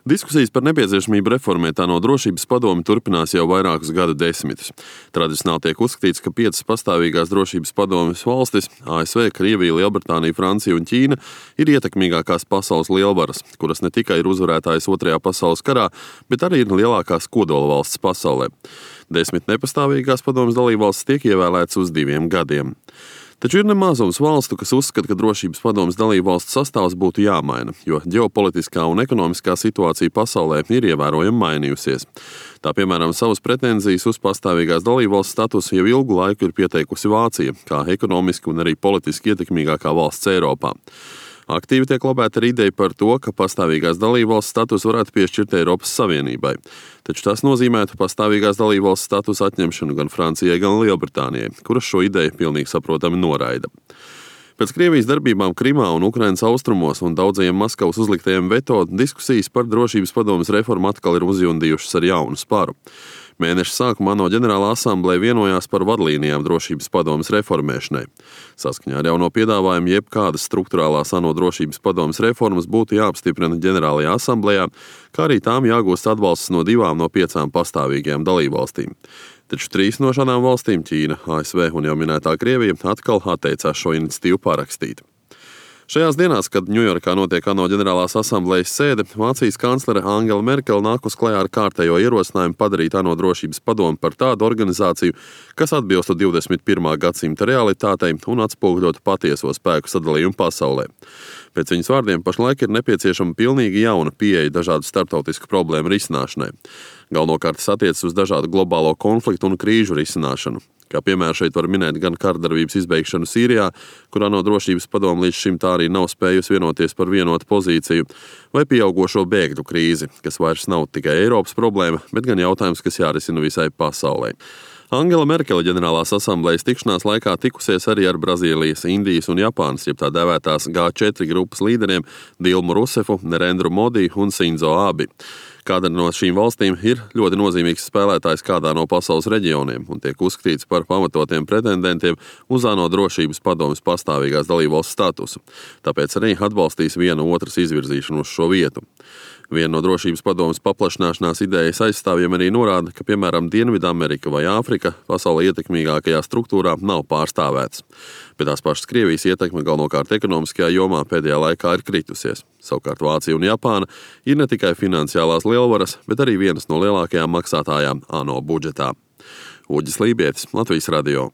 Diskusijas par nepieciešamību reformēt ANO drošības padomi turpinās jau vairākus gadu desmitus. Tradicionāli tiek uzskatīts, ka 5 pastāvīgās drošības padomes valstis - ASV, Krievija, Lielbritānija, Francija un Ķīna - ir ietekmīgākās pasaules lielvaras, kuras ne tikai ir uzvarētājas Otrajā pasaules karā, bet arī ir lielākās kodola valstis pasaulē. 10 nepastāvīgās padomes dalībvalstis tiek ievēlētas uz 2 gadiem. Taču ir nemazums valstu, kas uzskata, ka drošības padomes dalībvalstu sastāvs būtu jāmaina, jo ģeopolitiskā un ekonomiskā situācija pasaulē ir ievērojami mainījusies. Tā piemēram savas pretenzijas uz pastāvīgās dalībvalsts statusu jau ilgu laiku ir pieteikusi Vācija, kā ekonomiski un arī politiski ietekmīgākā valsts Eiropā. Aktīvi tiek lobēta ar ideju par to, ka pastāvīgās dalībvalsts status varētu piešķirt Eiropas Savienībai. Taču tas nozīmētu pastāvīgās dalībvalsts status atņemšanu gan Francijai, gan Lielbritānijai, kuras šo ideju pilnīgi saprotami noraida. Pēc Krievijas darbībām Krimā un Ukrainas austrumos un daudzajiem Maskavas uzliktajiem veto diskusijas par drošības padomes reformu atkal ir uzjundījušas ar jaunu sparu. Mēneša sākumā ANO ģenerālā asamblēja vienojās par vadlīnijām drošības padomes reformēšanai. Saskaņā ar jauno piedāvājumu jebkādas struktūrālās ANO drošības padomes reformas būtu jāapstiprina ģenerālajā asamblējā, kā arī tām jāgūst atbalsts no 2 no 5 pastāvīgajām dalībvalstīm. Taču 3 no šādām valstīm - Ķīna, ASV un jau minētā Krievija - atkal atteicās šo iniciatīvu parakstīt. Šajās dienās, kad Ņujorkā notiek ANO ģenerālās asamblējas sēde, Vācijas kanclere Angela Merkele nākus klajā ar kārtējo ierosinājumu padarīt ANO drošības padomi par tādu organizāciju, kas atbilstu 21. gadsimta realitātei un atspoguļotu patieso spēku sadalījumu pasaulē. Pēc viņas vārdiem pašlaik ir nepieciešama pilnīgi jauna pieeja dažādu starptautisku problēmu risināšanai. Galvenokārt tas attiecas uz dažādu globālo konfliktu un krīžu risināšanu. Kā piemēram šeit var minēt gan kardarbības izbeigšanu Sīrijā, kur ANO drošības padome līdz šim tā arī nav spējusi vienoties par vienotu pozīciju, vai pieaugošo bēgļu krīzi, kas vairs nav tikai Eiropas problēma, bet gan jautājums, kas jārisina visai pasaulē. Angela Merkele ģenerālās asamblējas tikšanās laikā tikusies arī ar Brazīlijas, Indijas un Japānas, jeb tā dēvētās G4 grupas līderiem Dilmu Rusefu, Nerendru Modi un Sinzo Abi. Kāda no šīm valstīm ir ļoti nozīmīgs spēlētājs kādā no pasaules reģioniem un tiek uzskatīts par pamatotiem pretendentiem uz ANO drošības padomes pastāvīgās dalībvalsts statusu. Tāpēc arī atbalstīs viena otras izvirzīšanu uz šo vietu. Viena no drošības padomes paplašināšanās idejas aizstāvjiem arī norāda, ka, piemēram, Dienvidamerika vai Āfrika pasaulē ietekmīgākajā struktūrā nav pārstāvēts. Bet tās pašas Krievijas ietekme galvenokārt ekonomiskajā jomā pēdējā laikā ir kritusies. Savukārt Vācija un Japāna ir ne tikai finansiālās lielvaras, bet arī vienas no lielākajām maksātājām ANO budžetā. Uģis Lībietis, Latvijas radio.